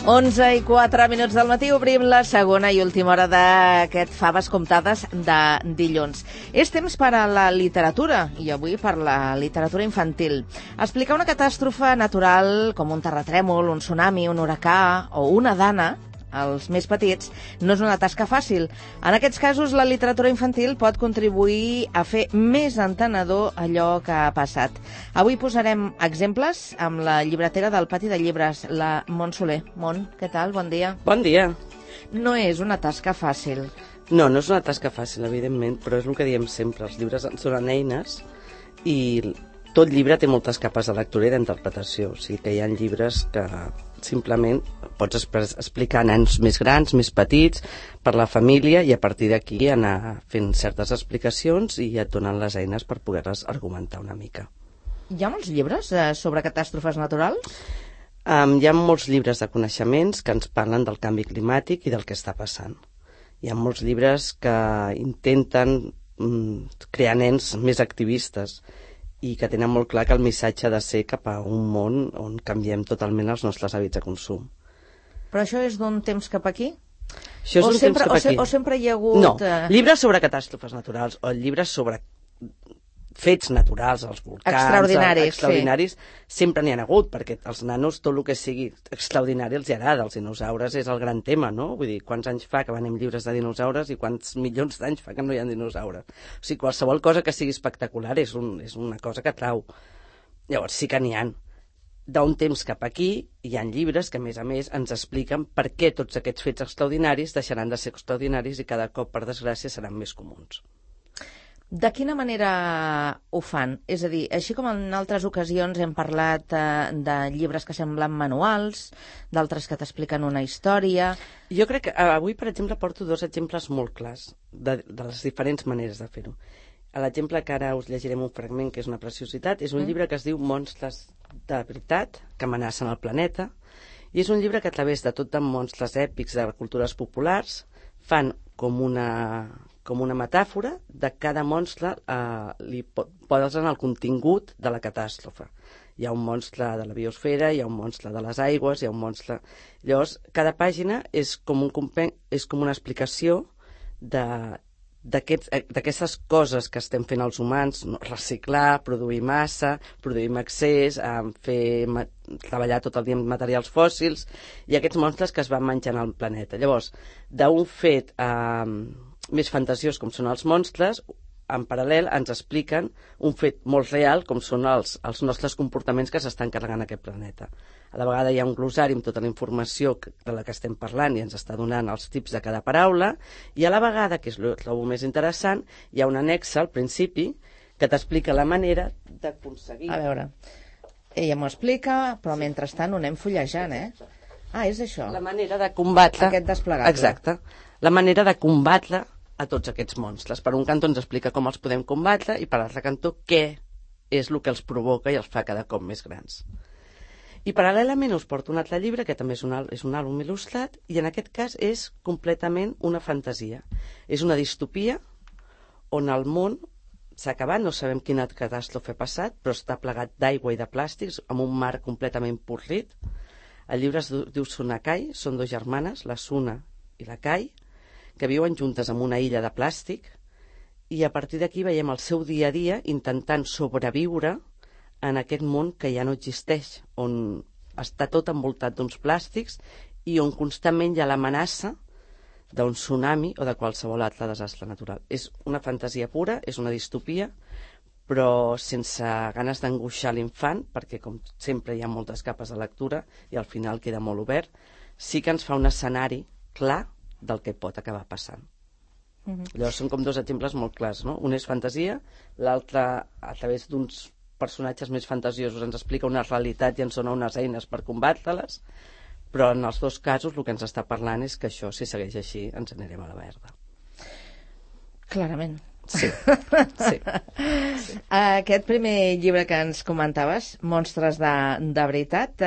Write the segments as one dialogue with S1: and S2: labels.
S1: 11:04 del matí, obrim la segona i última hora d'aquest Faves Comptades de dilluns. És temps per a la literatura, i avui per la literatura infantil. Explicar una catàstrofe natural com un terratrèmol, un tsunami, un huracà o una dana als més petits no és una tasca fàcil. En aquests casos, la literatura infantil pot contribuir a fer més entenedor allò que ha passat. Avui posarem exemples amb la llibretera del Pati de Llibres, la Mont Soler. Mont, què tal? Bon dia.
S2: Bon dia.
S1: No és una tasca fàcil.
S2: No és una tasca fàcil, evidentment, però és el que diem sempre. Els llibres ens donen eines i tot llibre té moltes capes de lectura i d'interpretació. O sigui que hi ha llibres que simplement pots explicar a nens més grans, més petits, per la família, i a partir d'aquí anar fent certes explicacions i et donen les eines per poder-les argumentar una mica.
S1: Hi ha molts llibres sobre catàstrofes naturals?
S2: Hi ha molts llibres de coneixements que ens parlen del canvi climàtic i del que està passant. Hi ha molts llibres que intenten crear nens més activistes i que tenen molt clar que el missatge ha de ser cap a un món on canviem totalment els nostres hàbits de consum.
S1: Però això és d'un temps cap aquí?
S2: Això és d'un temps cap aquí.
S1: O sempre hi ha hagut...
S2: No, llibres sobre catàstrofes naturals o llibres sobre fets naturals, els volcans... Extraordinaris, sempre n'hi ha hagut, perquè als nanos tot el que sigui extraordinari els agrada. Els dinosaures és el gran tema, no? Vull dir, quants anys fa que venim llibres de dinosaures i quants milions d'anys fa que no hi ha dinosaures. O sigui, qualsevol cosa que sigui espectacular és una cosa que atrau. Llavors sí que n'hi ha. D'un temps cap aquí hi ha llibres que, a més, ens expliquen per què tots aquests fets extraordinaris deixaran de ser extraordinaris i cada cop, per desgràcia, seran més comuns.
S1: De quina manera ho fan? És a dir, així com en altres ocasions hem parlat de llibres que semblen manuals, d'altres que t'expliquen una història...
S2: Jo crec que avui, per exemple, porto dos exemples molt clars de les diferents maneres de fer-ho. L'exemple que ara us llegirem un fragment, que és una preciositat, és un llibre que es diu Monstres de veritat, que amenacen el planeta, i és un llibre que a través de tot de monstres èpics de cultures populars fan com una metàfora de cada monstre, li posen el contingut de la catàstrofe. Hi ha un monstre de la biosfera, hi ha un monstre de les aigües, hi ha un monstre... Llavors, cada pàgina és com una explicació d'aquestes coses que estem fent els humans, reciclar, produir massa, produir en excés, treballar tot el dia amb materials fòssils, i aquests monstres que es van menjant al planeta. Llavors, d'un fet més fantasiós com són els monstres, en paral·lel ens expliquen un fet molt real com són els nostres comportaments que s'estan carregant aquest planeta. A la vegada hi ha un glossari amb tota la informació de la que estem parlant i ens està donant els tips de cada paraula, i a la vegada, que és el que trobo més interessant, hi ha un annex al principi que t'explica la manera d'aconseguir...
S1: A veure, ella m'ho explica, però mentrestant ho anem fullejant, Ah, és això.
S2: La manera de combatre...
S1: Aquest desplegable.
S2: Exacte. La manera de combatre a tots aquests monstres. Per un cantó ens explica com els podem combatre i per l'altre cantó què és el que els provoca i els fa cada cop més grans. I paral·lelament us porto un altre llibre que també és un àlbum il·lustrat, i en aquest cas és completament una fantasia. És una distopia on el món s'ha acabat, no sabem quina catàstrofe ha passat, però està plegat d'aigua i de plàstics amb un mar completament podrit. El llibre es diu Sunakai, són dues germanes, la Suna i la Kai, que viuen juntes en una illa de plàstic, i a partir d'aquí veiem el seu dia a dia intentant sobreviure en aquest món que ja no existeix, on està tot envoltat d'uns plàstics i on constantment hi ha l'amenaça d'un tsunami o de qualsevol altre desastre natural. És una fantasia pura, és una distopia, però sense ganes d'angoixar l'infant, perquè com sempre hi ha moltes capes de lectura i al final queda molt obert, sí que ens fa un escenari clar del que pot acabar passant. Llavors són com dos exemples molt clars, no? Un és fantasia, l'altre a través d'uns personatges més fantasiosos ens explica una realitat i ens dona unes eines per combatre-les, però en els dos casos el que ens està parlant és que això, si segueix així, ens anirem a la verda.
S1: Clarament.
S2: Sí.
S1: Aquest primer llibre que ens comentaves, Monstres de veritat,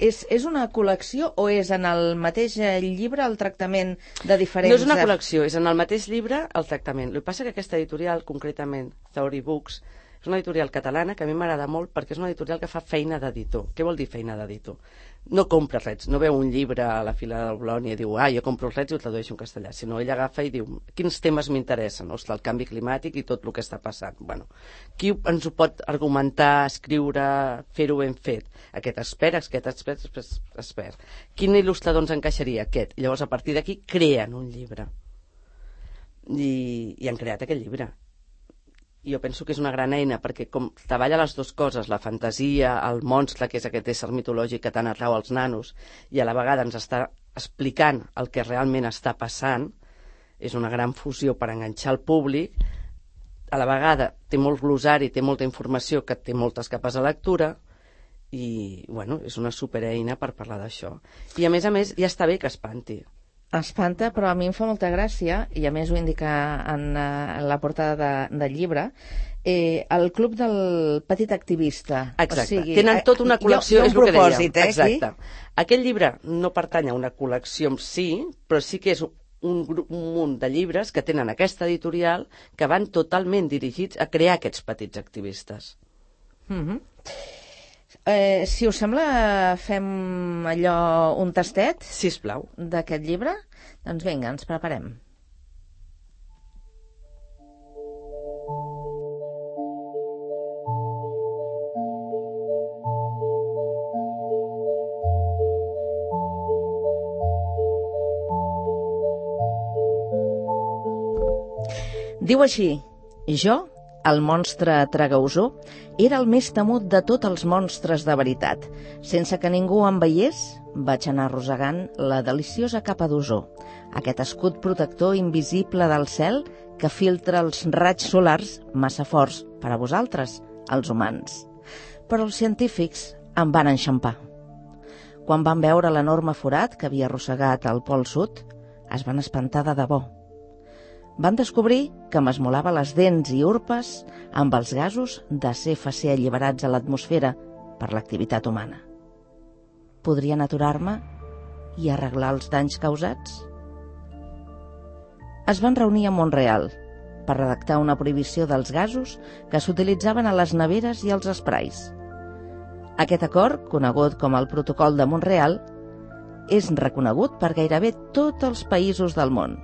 S1: és una col·lecció o és en el mateix llibre el tractament de diferents...
S2: No és una col·lecció, és en el mateix llibre el tractament. El que passa que aquesta editorial, concretament Theory Books, És una editorial catalana que a mi m'agrada molt perquè és una editorial que fa feina d'editor. Què vol dir feina d'editor? No compra res, no veu un llibre a la fila del Bologna i diu jo compro els rets i ho tradueixo en castellà, sinó ell agafa i diu quins temes m'interessen, el canvi climàtic i tot el que està passant. Bueno, qui ens ho pot argumentar, escriure, fer-ho ben fet? Aquest expert. Quin il·lustrador ens encaixaria? Aquest. I llavors a partir d'aquí creen un llibre. I han creat aquest llibre. Jo penso que és una gran eina perquè com treballa les dues coses, la fantasia, el monstre, que és aquest ésser mitològic que tant atrau als nanos, i a la vegada ens està explicant el que realment està passant, és una gran fusió per enganxar el públic. A la vegada té molt glosari, té molta informació que té moltes capes de lectura i, bueno, és una supereina per parlar d'això. I a més, ja està bé que espanti.
S1: Espanta, però a mi em fa molta gràcia, i a més ho indica en la portada del llibre, el Club del Petit Activista.
S2: Exacte, o sigui, tenen tota una col·lecció, és el que dèiem. Exacte.
S1: Aquí?
S2: Aquest llibre no pertany a una col·lecció en si, però sí que és un munt de llibres que tenen aquesta editorial que van totalment dirigits a crear aquests petits activistes.
S1: Si us sembla, fem allò, un tastet?
S2: Sisplau.
S1: D'aquest llibre? Doncs vinga, ens preparem. Diu així: jo, el monstre Tragausó, era el més temut de tots els monstres de veritat. Sense que ningú em veiés, vaig anar arrossegant la deliciosa capa d'ozó, aquest escut protector invisible del cel que filtra els raigs solars massa forts per a vosaltres, els humans. Però els científics em van enxampar. Quan van veure l'enorme forat que havia arrossegat al Pol Sud, es van espantar de debò. Van descobrir que m'esmolava les dents i urpes amb els gasos de CFC alliberats a l'atmosfera per l'activitat humana. Podrien aturar-me i arreglar els danys causats? Es van reunir a Mont-real per redactar una prohibició dels gasos que s'utilitzaven a les neveres i als esprais. Aquest acord, conegut com el Protocol de Mont-real, és reconegut per gairebé tots els països del món.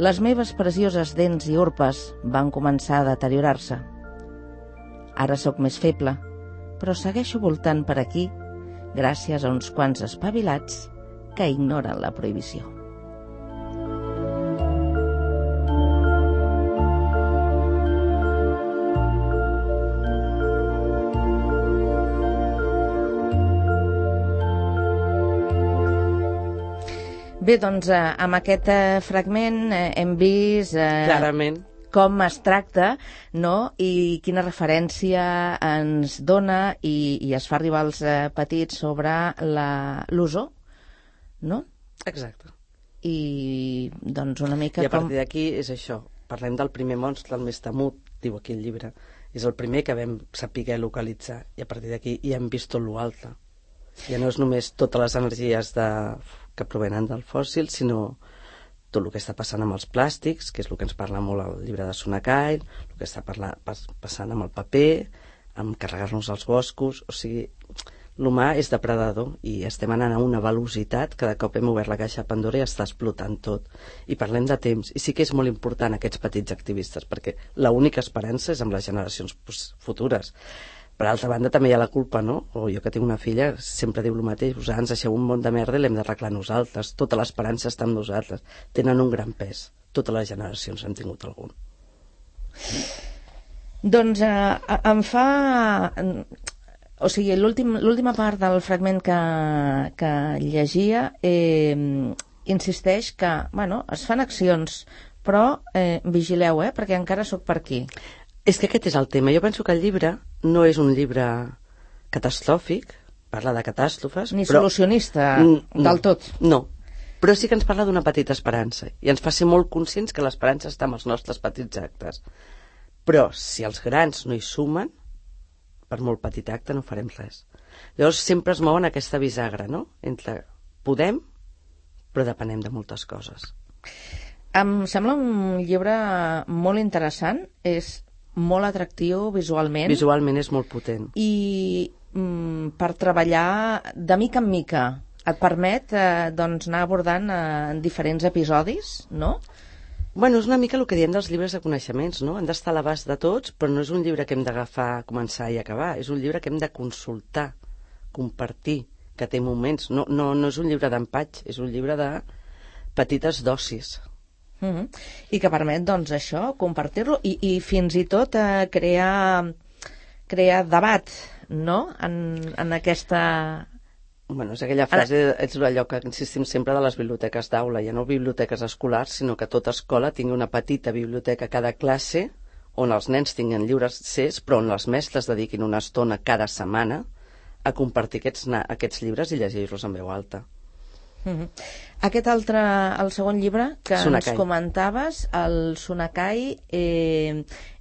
S1: Les meves precioses dents i urpes van començar a deteriorar-se. Ara sóc més feble, però segueixo voltant per aquí gràcies a uns quants espavilats que ignoren la prohibició. Bé, doncs amb aquest fragment hem vist
S2: clarament
S1: com es tracta, no? I quina referència ens dona i es fa arribar als petits sobre l'ozó, no?
S2: Exacte.
S1: I doncs una mica
S2: I a partir d'aquí és això, parlem del primer monstre, el més temut, diu aquí el llibre, és el primer que vam saber localitzar, i a partir d'aquí ja hem vist tot l'altre. Ja no és només totes les energies que provenen del fòssil, sinó tot el que està passant amb els plàstics, que és el que ens parla molt al llibre de Sunakai, el que està passant amb el paper, amb carregar-nos els boscos. O sigui, l'humà és depredador i estem anant a una velocitat que de cop hem obert la caixa de Pandora i està explotant tot. I parlem de temps. I sí que és molt important aquests petits activistes, perquè l'única esperança és amb les generacions futures. Per altra banda, també hi ha la culpa, no? O jo que tinc una filla, sempre diu el mateix, vosaltres ens deixeu un món de merda i l'hem d'arreglar nosaltres. Tota l'esperança està amb nosaltres. Tenen un gran pes. Totes les generacions han tingut algun.
S1: Doncs em fa... O sigui, l'última part del fragment que llegia insisteix que, bueno, es fan accions, però vigileu, perquè encara sóc per aquí.
S2: És que aquest és el tema. Jo penso que el llibre no és un llibre catastròfic, parla de catàstrofes...
S1: Ni solucionista del tot.
S2: No, però sí que ens parla d'una petita esperança i ens fa ser molt conscients que l'esperança està amb els nostres petits actes. Però si els grans no hi sumen, per molt petit acte no farem res. Llavors sempre es mouen aquesta bisagra, no? Entre podem, però depenem de moltes coses.
S1: Em sembla un llibre molt interessant, és molt atractiu visualment.
S2: Visualment és molt potent.
S1: I per treballar de mica en mica et permet doncs, anar abordant en diferents episodis, no?
S2: Bueno, és una mica el que diem dels llibres de coneixements, no? Han d'estar a l'abast de tots, però no és un llibre que hem d'agafar, començar i acabar. És un llibre que hem de consultar, compartir, que té moments. No és un llibre d'empatx, és un llibre de petites dosis.
S1: I que permet, doncs, això, compartir-lo i fins i tot crear debat, no?, en aquesta...
S2: Bueno, és aquella frase, és allò que insistim sempre de les biblioteques d'aula, ja no biblioteques escolars, sinó que tota escola tingui una petita biblioteca a cada classe on els nens tinguin llibres accés, però on els mestres dediquin una estona cada setmana a compartir aquests llibres i llegir-los en veu alta.
S1: Aquest altre, el segon llibre que
S2: Sunakai.
S1: ens comentaves, el Sunakai,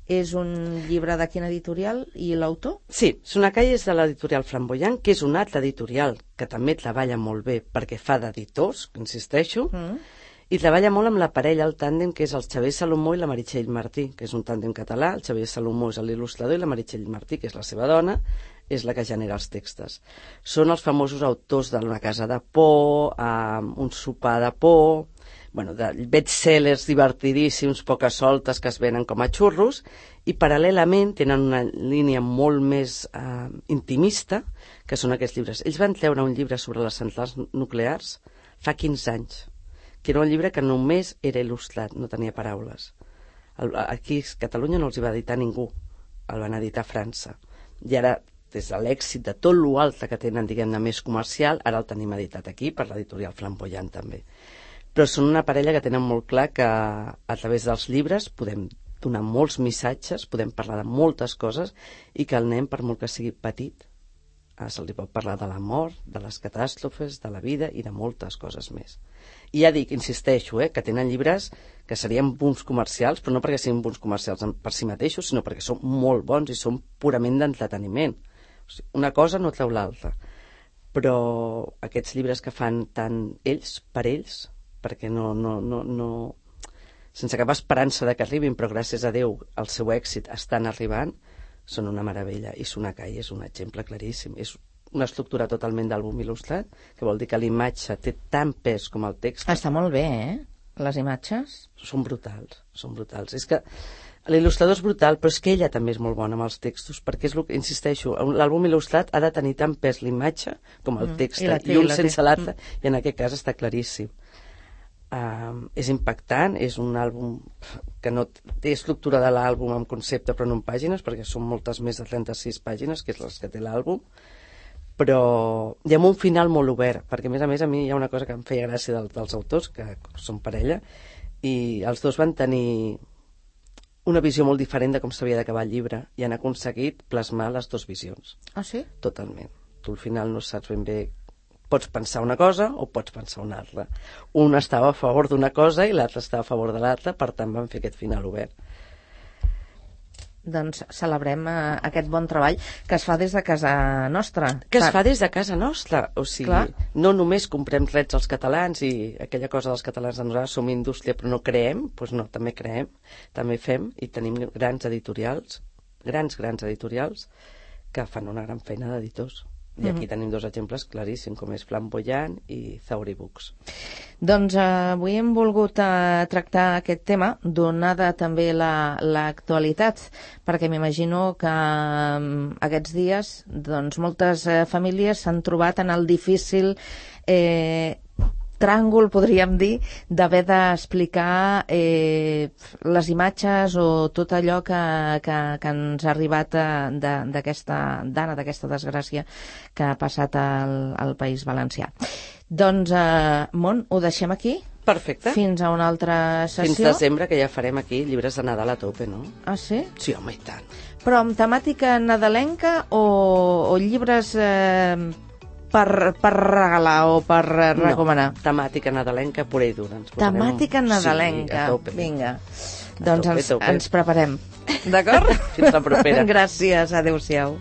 S1: és un llibre de quina editorial i l'autor?
S2: Sí, Sunakai és de l'editorial Flamboyant, que és una altra editorial que també treballa molt bé perquè fa d'editors, insisteixo, i treballa molt amb la parella, el tàndem, que és el Xavier Salomó i la Meritxell Martí, que és un tàndem català. El Xavier Salomó és l'il·lustrador i la Meritxell Martí, que és la seva dona, és la que genera els textos. Són els famosos autors d'Una casa de por, Un sopar de por, bueno, de bestsellers divertidíssims, poques soltes, que es venen com a xurros, i paral·lelament tenen una línia molt més intimista, que són aquests llibres. Ells van treure un llibre sobre les centrals nuclears fa 15 anys, que era un llibre que només era il·lustrat, no tenia paraules. Aquí a Catalunya no els hi va editar ningú, el van editar a França. I ara, des de l'èxit de tot l'altre que tenen, diguem-ne, més comercial, ara el tenim editat aquí per l'editorial Flamboyant també. Però són una parella que tenen molt clar que a través dels llibres podem donar molts missatges, podem parlar de moltes coses i que el nen, per molt que sigui petit, se li pot parlar de la mort, de les catàstrofes, de la vida i de moltes coses més. I ja dic, insisteixo, que tenen llibres que serien bons comercials, però no perquè siguin bons comercials per si mateixos, sinó perquè són molt bons i són purament d'entreteniment. O sigui, una cosa no treu l'altra. Però aquests llibres que fan tant ells per ells, perquè no sense cap esperança de que arribin, però gràcies a Déu el seu èxit estan arribant, són una meravella. I Sunakai és un exemple claríssim. És una estructura totalment d'àlbum il·lustrat, que vol dir que l'imatge té tant pes com el text.
S1: Està molt bé, les imatges?
S2: Són brutals, són brutals. És que l'il·lustrador és brutal, però és que ella també és molt bona amb els textos, perquè és el que insisteixo, l'àlbum il·lustrat ha de tenir tant pes l'imatge com el text, i un sense l'altre, i en aquest cas està claríssim. És impactant, és un àlbum que no té estructura de l'àlbum en concepte però no en pàgines, perquè són moltes més de 36 pàgines, que és les que té l'àlbum, però hi ha un final molt obert, perquè a més a mi hi ha una cosa que em feia gràcia dels autors, que són parella, i els dos van tenir una visió molt diferent de com s'havia d'acabar el llibre i han aconseguit plasmar les dues visions.
S1: Ah, sí?
S2: Totalment. Tu al final no saps ben bé, pots pensar una cosa o pots pensar una altra. Un estava a favor d'una cosa i l'altre estava a favor de l'altra, per tant van fer aquest final obert.
S1: Doncs celebrem aquest bon treball que es fa des de casa nostra.
S2: Que es fa des de casa nostra, o sigui, no només comprem drets als catalans i aquella cosa dels catalans de nosaltres som indústria però no creem, doncs no, també creem, també fem i tenim grans editorials, grans editorials que fan una gran feina d'editors. I aquí tenim dos exemples claríssims, com és Flamboyant i Zauri Books.
S1: Doncs avui hem volgut tractar aquest tema, donada també l'actualitat, perquè m'imagino que aquests dies doncs, moltes famílies s'han trobat en el difícil tràngol, podríem dir, d'haver d'explicar les imatges o tot allò que ens ha arribat d'aquesta dana, d'aquesta desgràcia que ha passat al País Valencià. Doncs, Mont, ho deixem aquí?
S2: Perfecte.
S1: Fins a una altra sessió.
S2: Fins desembre, que ja farem aquí llibres de Nadal a tope, no?
S1: Ah, sí?
S2: Sí, home, i tant.
S1: Però amb temàtica nadalenca o llibres per regalar o per recomanar?
S2: No, temàtica nadalenca pura i dura.
S1: Temàtica nadalenca.
S2: Sí, a tope.
S1: Vinga. Doncs ens preparem. D'acord?
S2: Fins la propera.
S1: Gràcies. Adéu-siau.